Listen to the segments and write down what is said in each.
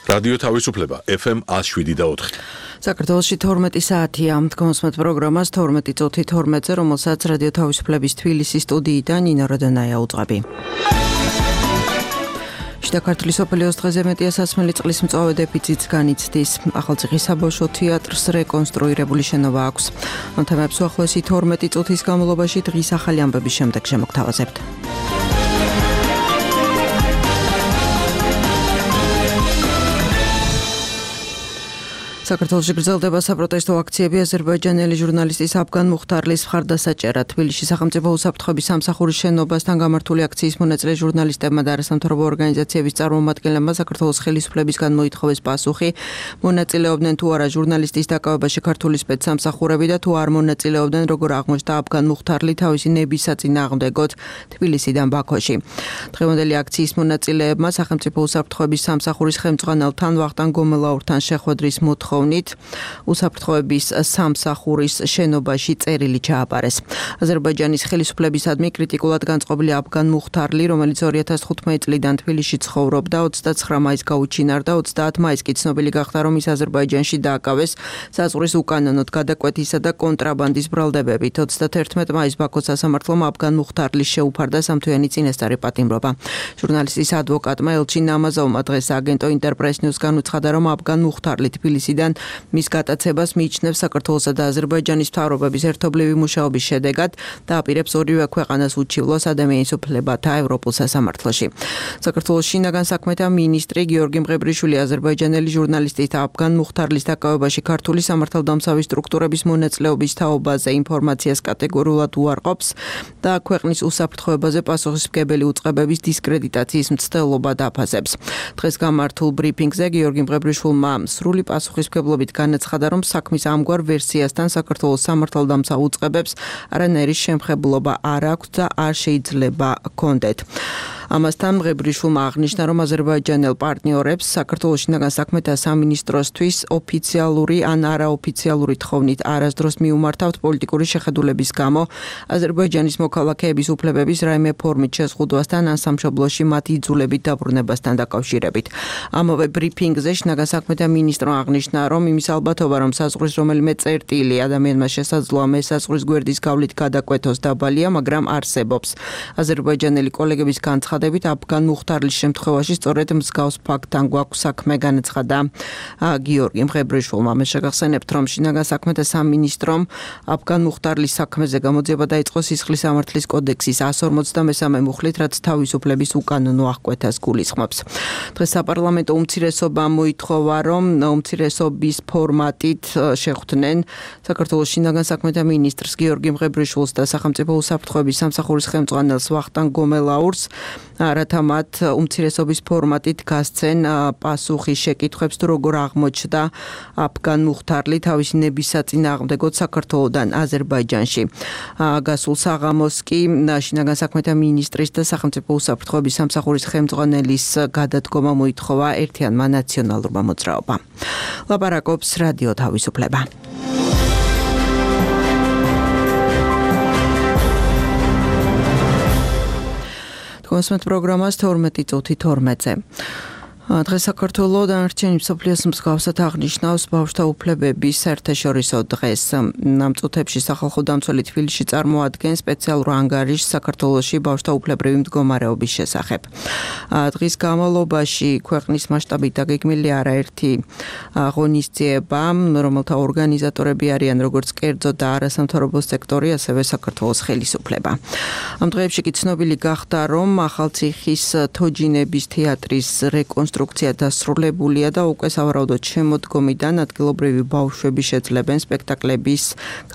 რადიო თავისუფლება FM 107.4. საქართველოში 12 საათია. Დგომსმეთ პროგრამას 12 წუთი 12-ზე, რომელსაც რადიო თავისუფლების თბილისის სტუდიიდან ნინო როდონაია უძღვები. შიდა ქართლის სოფლიოს დღეზე მეტია სასმელი წყლის მწვავე დეფიციტს განიცდის. ახალციხის საბავშვო თეატრს რეკონსტრუირებული შენობა აქვს. ამ თემებს უახლოესი 12 წუთის განმავლობაში დღის ახალი ამბების შემდეგ შემოგთავაზებთ. საქართველოში გრძელდება საპროტესტო აქციები აზერბაიჯანელი ჟურნალისტის აფგან მუხთარლის მხარდასაჭერად. თბილისში სახელმწიფო უსაფრთხოების სამსახურის შენობასთან გამართული აქციის მონაწილე ჟურნალისტებმა და არასამთავრობო ორგანიზაციების წარმომადგენლებმა საქართველოს ხელისუფლებისგან მოითხოვეს პასუხი, მონაწილეობდნენ თუ არა ჟურნალისტის დაკავებაში ქართული სპეცსამსახურები და თუ არ მონაწილეობდნენ, როგორ აღმოჩნდა აფგან მუხთარლი თავისი ნების საწინააღმდეგოდ თბილისიდან ბაქოში. დღევანდელი აქციის მონაწილეებმა სახელმწიფო უსაფრთხოების სამსახურის ხელმძღვანელთან ვახტანგ გომელაურთან შეხვედრის უსაფრთხოების სამსახურის შენობაში წერილი ჩააბარეს. აზერბაიჯანის ხელისუფლებისადმი კრიტიკულად განწყობილი აფგან მუხთარლი, რომელიც 2015 წლიდან თბილისში ცხოვრობდა, 29 მაისს გაუჩინარდა, 30 მაისს კი ცნობილი გახდა, რომ ის აზერბაიჯანში დააკავეს საზღვრის უკანონოდ გადაკვეთისა და კონტრაბანდის ბრალდებებით. 31 მაისს ბაქოს სასამართლომ აფგან მუხთარლის შეუფარდა სამთვიანი წინასწარი პატიმრობა. ჟურნალისტის ადვოკატმა ელჩი ნამაზოვმა დღეს აგენტო ინტერპრეს ნიუს განუცხადა, რომ აფგან მუხთარლი თბილისიდან მის გატაცებას მიიჩნევს საქართველოსა და აზერბაიჯანის მთავრობების ერთობლივი მუშაობის შედეგად და აპირებს ორივე ქვეყანას უჩივლოს ადამიანის უფლებათა ევროპულ სასამართლოში. საქართველოს შინაგან საქმეთა მინისტრი გიორგი მღებრიშვილი აზერბაიჯანელი ჟურნალისტის აფგან მუხთარლის დაკავებაში ქართული სამართალდამცავი სტრუქტურების მონაწილეობის თაობაზე ინფორმაციას კატეგორიულად უარყოფს და ქვეყნის უსაფრთხოებაზე პასუხისმგებელი უწყებების დისკრედიტაციის მცდელობა დაფასებს. დღეს გამართულ ბრიფინგზე გიორგი მღებრიშვილმა სრული პასუხისმგებლობით განაცხადა, რომ საქმის ამგვარ ვერსიასთან საქართველოს სამართალდამცავ უწყებებს არანაირი შემხებლობა არ აქვს და არ შეიძლება ჰქონდეთ. ამასთან მღებრიშვილმა აღნიშნა, რომ აზერბაიჯანელ პარტნიორებს საქართველოს შინაგან საქმეთა სამინისტროსთვის ოფიციალური ან არაოფიციალური თხოვნით არასდროს მიუმართავთ პოლიტიკური შეხედულების გამო აზერბაიჯანის მოქალაქეების უფლებების რაიმე ფორმით შეზღუდვასთან ან სამშობლოში მათი იძულებით დაბრუნებასთან დაკავშირებით. ამავე ბრიფინგზე შინაგან საქმეთა მინისტრმა აღნიშნა, რომ იმის ალბათობა, რომ საზღვრის რომელიმე წერტილი ადამიანმა შესაძლოა მესაზღვრის გვერდის გავლით გადაკვეთოს დაბალია, მაგრამ არსებობს. აზერბაიჯანელი კოლეგების განცხადებით აფგან მუხთარლის შემთხვევაში სწორედ მსგავს ფაქტთან გვაქვს საქმე, განაცხადა გიორგი მღებრიშვილმა. მე შეგახსენებთ, რომ შინაგან საქმეთა სამინისტრომ აფგან მუხთარლის საქმეზე გამოძიება დაიწყო სისხლის სამართლის კოდექსის 153 მუხლით, რაც თავისუფლების უკანონო აღკვეთას გულისხმობს. დღეს საპარლამენტო უმცირესობამ მოითხოვა, რომ უმცირესობის ფორმატით შეხვდნენ საქართველოს შინაგან საქმეთა მინისტრს გიორგი მღებრიშვილს და სახელმწიფო უსაფრთხოების სამსახურის ხელმძღვანელს ვახტანგ გომელაურს, რათა მათ უმცირესობის ფორმატით გასცენ პასუხი შეკითხვებს, თუ როგორ აღმოჩნდა აფგან მუხთარლი თავისი ნების საწინააღმდეგოდ საქართველოდან აზერბაიჯანში. გასულ საღამოს კი შინაგან საქმეთა მინისტრის და სახელმწიფო უსაფრთხოების სამსახურის ხელმძღვანელის გადადგომა მოითხოვა ერთიანმა ნაციონალურმა მოძრაობამ. ლაპარაკობს რადიო თავისუფლება. დგომსმეთ პროგრამას 12 წუთი 12-ზე. დღეს საქართველოს დანარჩენი მსოფლიოს მსგავსად აღნიშნავს ბავშვთა უფლებების საერთაშორისო დღეს. ამ წუთებში სახალხო დამცველი თბილისში წარმოადგენს სპეციალურ ანგარიშს საქართველოში ბავშვთა უფლებრივი მდგომარეობის შესახებ. დღის განმავლობაში ქვეყნის მასშტაბით დაგეგმილი არაერთი ღონისძიება, რომელთა ორგანიზატორები არიან როგორც კერძო და არასამთავრობო სექტორი, ასევე საქართველოს ხელისუფლება. ამ დღეებში კი ცნობილი გახდა, რომ ახალციხის თოჯინების თეატრის რეკონსტრუქცია დასრულებულია და უკვე სავარაუდოდ შემოდგომიდან ადგილობრივი ბავშვები შეძლებენ სპექტაკლების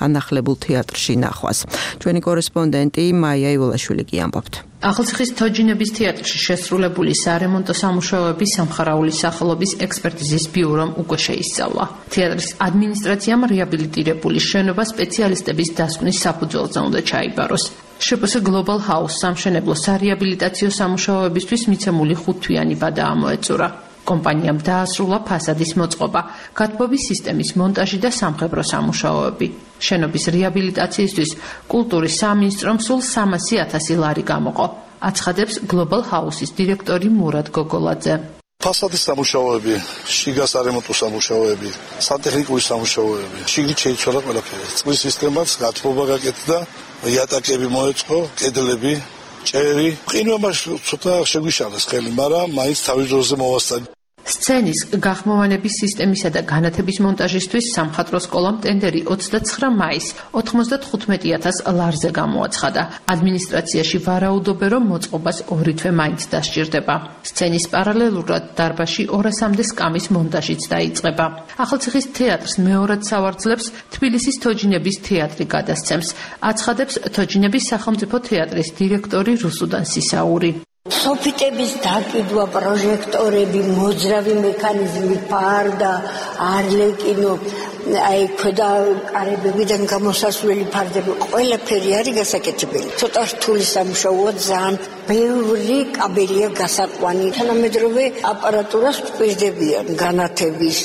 განახლებულ თეატრში ნახვას. ჩვენი კორესპონდენტი მაია ივლაშვილი კი ამბობთ. ახალციხის თოჯინების თეატრში შესრულებული სარემონტო სამუშაოები სამხარაულის სახელობის ექსპერტიზის ბიურომ უკვე შეისწავლა. თეატრის ადმინისტრაციამ რეაბილიტირებული შენობა სპეციალისტების დასკვნის საფუძველზე უნდა ჩაიბაროს. შპს Global House სამშენებლო სარეაბილიტაციო სამუშაოებისთვის მიცემული 5 თვიანი ვადა ამოეწურა. კომპანიამ დაასრულა ფასადის მოწყობა, გათბობის სისტემის მონტაჟი და სამხედრო სამუშაოები. შენობის რეაბილიტაციისთვის კულტურის სამინისტრომ სულ 300,000 ლარი გამოყო. აცხადებს Global House-ის დირექტორი მურად გოგოლაძე. ფასადის სამუშაოები, შიგა სარემონტო სამუშაოები, სანტექნიკური სამუშაოები. შიგნით შეიცვალა ყველაფერი. წყლის სისტემაც გათბობა გაკეთდა, იატაკები მოეწყო, კედლები, ჭერი. ყინვამაც ცოტა შეგვიშალეს ხელი, მაგრამ მაინც თავის დროზე მოვასწარი. სცენის გახმოვანების სისტემისა და განათების მონტაჟისთვის სამხატვრო სკოლამ ტენდერი 29 მაისს 95,000 ლარზე გამოაცხადა. ადმინისტრაციაში ვარაუდობენ, რომ მოწყობას 2 თვე მაინც დასჭირდება. სცენის პარალელურად დარბაზში 200-მდე სკამის მონტაჟიც დაიწყება. ახალციხის თეატრს მეორად სავარძლებს თბილისის თოჯინების თეატრი გადასცემს, აცხადებს თოჯინების სახელმწიფო თეატრის დირექტორი რუსუდან სისაური. სოფიტების დაკიდვა, პროჟექტორები, მოძრავი მექანიზმი, ფარდა, არლეკინო, აი ქვედა კარებებიდან გამოსასვლელი ფარდები, ყველაფერი არის გასაკეთებელი. ცოტა რთული სამუშაოა, ძალიან ბევრი კაბელია გასაყვანი. თანამედროვე აპარატურას გვპირდებიან განათების,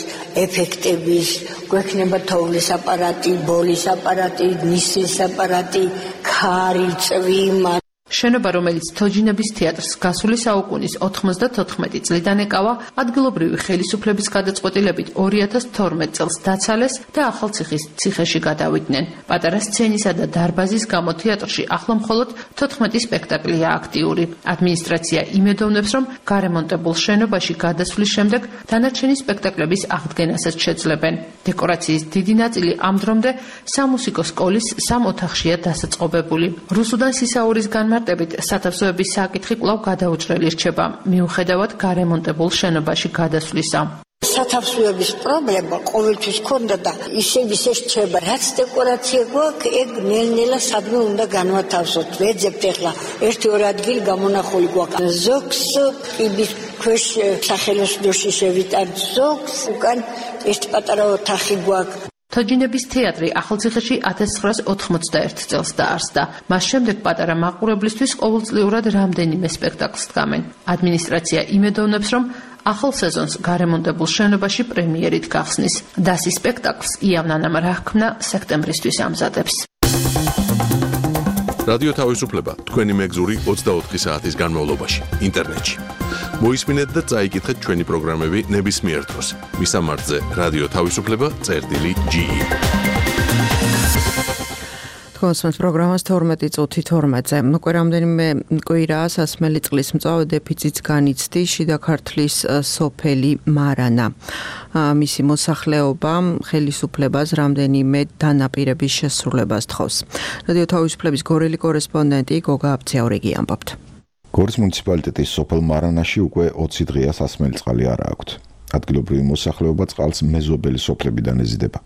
ეფექტების, გვექნება თოვლის აპარატი, ბოლის აპარატი, ნისის აპარატი, ქარი, წვიმა. შენობა, რომელიც თოჯინების თეატრს გასული საუკუნის 94 წლიდან ეკავა, ადგილობრივი ხელისუფლების გადაწყვეტილებით 2012 წელს დაცალეს და ახალციხის ციხეში გადავიდნენ. პატარა სცენისა და დარბაზის გამო თეატრში ახლა მხოლოდ 14 სპექტაკლია აქტიური. ადმინისტრაცია იმედოვნებს, რომ გარემონტებულ შენობაში გადასვლის შემდეგ დანარჩენი სპექტაკლების აღდგენასაც შეძლებენ. დეკორაციის დიდი ნაწილი ამ დრომდე სამუსიკო სკოლის 3 ოთახშია დასაწყობებული. რუსუდან სისაურის განმარტებით სათავსოების საკითხი კვლავ გადაუჭრელი რჩება, მიუხედავად გარემონტებულ შენობაში გადასვლისა. სათავსოების პრობლემა ყოველთვის ქონდა და ისევ რჩება. რაც დეკორაცია გვაქვს, ეგ ნელ-ნელა სადმე უნდა განვათავსოთ. ვეძებთ ახლა 1-2 ადგილი გამონახული გვაქვს. ზოგს კიბის ქვეშ სახელოსნოში შევიტანთ, ზოგს უკან ერთი პატარა ოთახი გვაქვს. თოჯინების თეატრი ახალციხეში 1991 წელს დაარსდა. მას შემდეგ პატარა მაყურებლისთვის ყოველწლიურად რამდენიმე სპექტაკლს დგამენ. ადმინისტრაცია იმედოვნებს, რომ ახალ სეზონს გარემონტებულ შენობაში პრემიერით გახსნის. დასი სპექტაკლს იავნანამ რაჰქმნა სექტემბრისთვის ამზადებს. რადიო თავისუფლება თქვენი მეგზური 24 საათის განმავლობაში ინტერნეტში. მოისმინეთ და წაიკითხეთ ჩვენი პროგრამები ნებისმიერ დროს. მისამართზე რადიო თავისუფლება.ge. კონსმენს პროგრამას 12 წუთი 12-ზე. უკვე რამდენიმე კვირაა სასმელი წყლის მწვავე დეფიციტს განიცდი შიდა ქართლის სოფელი მარანა. მისი მოსახლეობა ხელისუფლებას რამდენიმე დანაპირების შესრულებას თხოვს. რადიო თავისუფლების გორელი კორესპონდენტი გოგა აბციაურიგი ამბობთ. გორის მუნიციპალიტეტის სოფელ მარანაში უკვე 20 დღეა სასმელი წყალი არ აქვთ. ადგილობრივი მოსახლეობა წყალს მეზობელი სოფლებიდან ეზიდება,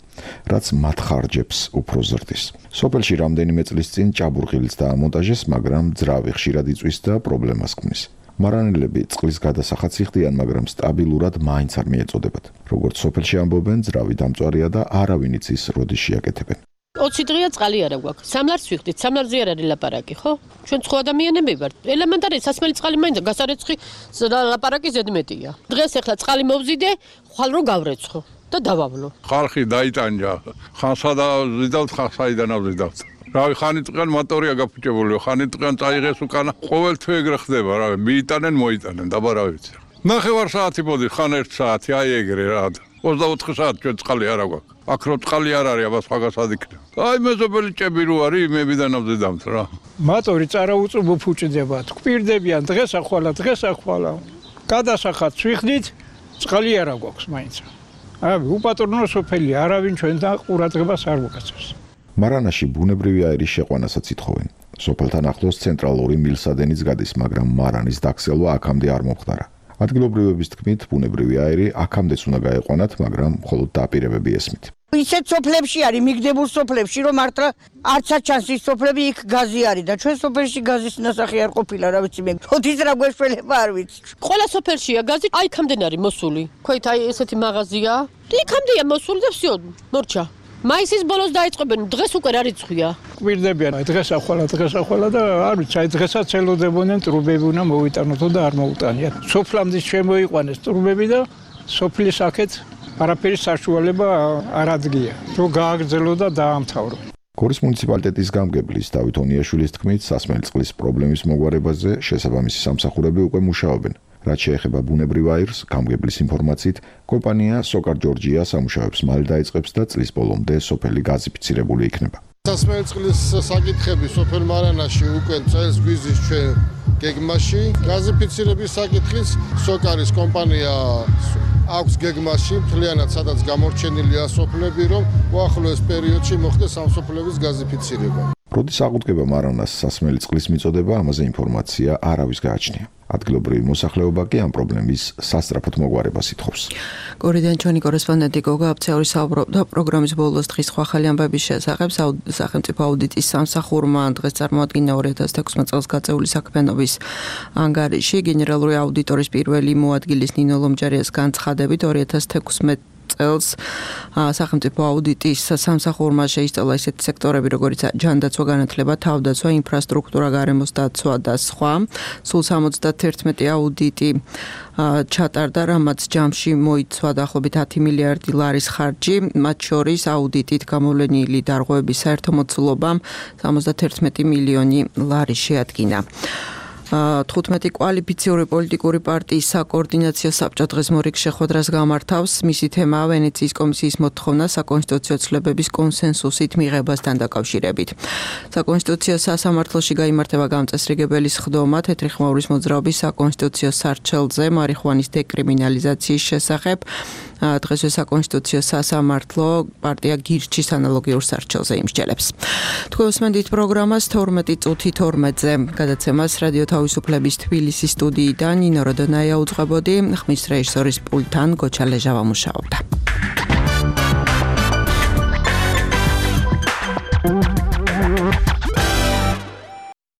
რაც მათ ხარჯებს უფრო ზრდის. სოფელში რამდენიმე წლის წინ ჭაბურღილიც დაამონტაჟეს, მაგრამ ძრავი ხშირად იწვის და პრობლემას ქმნის. მარანელები წყლის გადასახადს იხდიან, მაგრამ სტაბილურად მაინც არ მიეწოდებათ. როგორც სოფელში ამბობენ, ძრავი დამწვარია და არავინ იცის, როდის შეაკეთებენ. 20 დღეა წყალი არა გვაქვს. სამლარს ვიხდით, სამლარზე არ არის ლაპარაკი, ხო? ჩვენ სხვა ადამიანები ვართ. ელემენტარი სასმელი წყალი მაინც გასარეცხი ლაპარაკი ზედმეტია. დღეს ახლა წყალი მოვზიდე, ხვალ რო გავრეცხო და დავავლო. ხალხი დაიტანჯა. ხან სადა ვზიდავთ, ხან საიდან ავზიდავთ. რავი, ხანი წყან მოტორია გაფუჭებული, ხანი წყან წაიღეს უკანა. ყოველთვე ეგრე ხდება, რავი, მიიტანენ, მოიტანენ, დაბა რა ვიცი. ნახევარ საათი მოდი, ხან 1 საათი, აი ეგრე რა. 24 საათი ჩვენ წყალი არა გვაქვს. აქ რო წყალი არ არის, აბა სხვაგასად იქნება. აი მეზობელი ჭები რო არის, იმებიდან ავზიდავთ რა. მატორი წარაუწუ მოფუჭდება, გვპირდებიან დღეს ახვალა. გადასახადს ვიხდით, წყალი არა გვაქვს მაინც. აი, უპატრონო სოფელი, არავინ ჩვენთან ყურადღებას არ მოგაცემს. მარანაში ბუნებრივი აირის შეყვანასაც ითხოვენ. სოფელთან ახლოს ცენტრალური მილსადენიც გადის, მაგრამ მარანის დაქცევა აქამდე არ მომხდარა. ადგილობრივების თქმით, ბუნებრივი აირი აქამდეც უნდა გაეყვანათ, მაგრამ მხოლოდ დაპირებები ესმით. ისეთ სოფლებში არის, მიგდებულ სოფლებში, რომ მართლა არცაც ჩანს ის სოფლები, იქ გაზი არის და ჩვენ სოფელში გაზის ნასახი არ ყოფილა, რა ვიცი მე. ოთის რა გვეშველება არ ვიცი. ყველა სოფელშია გაზი, აი იქამდენ არის მოსული. ქვით აი ესეთი მაღაზია. იქამდეა მოსული და всё, მორჩა. მაისის ბოლოს დაიწყებენ, დღეს უკვე რა რიცხვია. გვპირდებიან, დღეს ახვალა და არ ვიცი, აი დღესაც ელოდებოდნენ ტრუბები უნდა მოვიტანოთო და არ მოუტანიათ. სოფლამდე შემოიყვანეს ტრუბები და სოფლის აქეთ არაფერი საშუალება არ ადგია, რომ გააგრძელო და დაამთავრო. გორის მუნიციპალიტეტის გამგებლის დავით ონიაშვილის თქმით, სასმელი წყლის პრობლემის მოგვარებაზე შესაბამისი სამსახურები უკვე მუშაობენ. რაც შეეხება ბუნებრივ აირს, გამგებლის ინფორმაციით, კომპანია Sokar Georgia სამუშაოებს მალე დაიწყებს და წლის ბოლომდე სოფელი გაზიფიცირებული იქნება. სასმელი წყლის საკითხები სოფელ მარანაში უკვე წელს გვიზის ჩვენ გეგმაში. გაზიფიცირების საკითხის Sokaris კომპანია აქვს გეგმაში მთლიანად სადაც გამორჩენილია სოფლები, რომ უახლოეს პერიოდში მოხდეს ამ სოფლების გაზიფიცირება. როდის აღუდგება მარანას სასმელი წყლის მიწოდება, ამაზე ინფორმაცია არავის გააჩნია. ადგილობრივი მოსახლეობა კი ამ პრობლემის სასწრაფოდ მოგვარებას ითხოვს. გორიდან ჩვენი კორესპონდენტი გოგა აბცეული საუბრობდა პროგრამის ბოლოს დღის სხვა ახალი ამბების შესახებ. სახელმწიფო აუდიტის სამსახურმა დღეს წარმოადგინა 2016 წელს გაწეული საქმიანობის ანგარიში. გენერალური აუდიტორის პირველი მოადგილის ნინო ლომჯარიას განცხადებით 2016 წელს სახელმწიფო აუდიტის სამსახურმა შეისწავლა ისეთი სექტორები, როგორიც ჯანდაცვა, განათლება, თავდაცვა, ინფრასტრუქტურა, გარემოს დაცვა და სხვა. სულ 71 აუდიტი ჩატარდა, რამაც ჯამში მოიცვა დაახლოებით 10 მილიარდი ლარის ხარჯი, მათ შორის აუდიტით გამოვლენილი დარღვევების საერთო მოცულობამ 71 მილიონი ლარი შეადგინა. 15 კვალიფიციური პოლიტიკური პარტიის საკოორდინაციო საბჭო დღეს მორიგ შეხვედრას გამართავს. მისი თემაა ვენეციის კომისიის მოთხოვნა საკონსტიტუციო ცვლილებების კონსენსუსით მიღებასთან დაკავშირებით. საკონსტიტუციო სასამართლოში გაიმართება გამწესრიგებელი სხდომა თეთრი ხმაურის მოძრაობის საკონსტიტუციო სარჩელზე მარიხუანის დეკრიმინალიზაციის შესახებ. დღესვე საკონსტიტუციო სასამართლო პარტია გირჩის ანალოგიურ სარჩელზე იმსჯელებს. თქვენ უსმენთ პროგრამას 12 წუთი 12-ზე. გადაცემას რადიო თავისუფლების თბილისის სტუდიიდან ნინო როდონაია უძღვებოდი, ხმის რეჟისორის პულტთან გოჩა ლეჟავა მუშაობდა.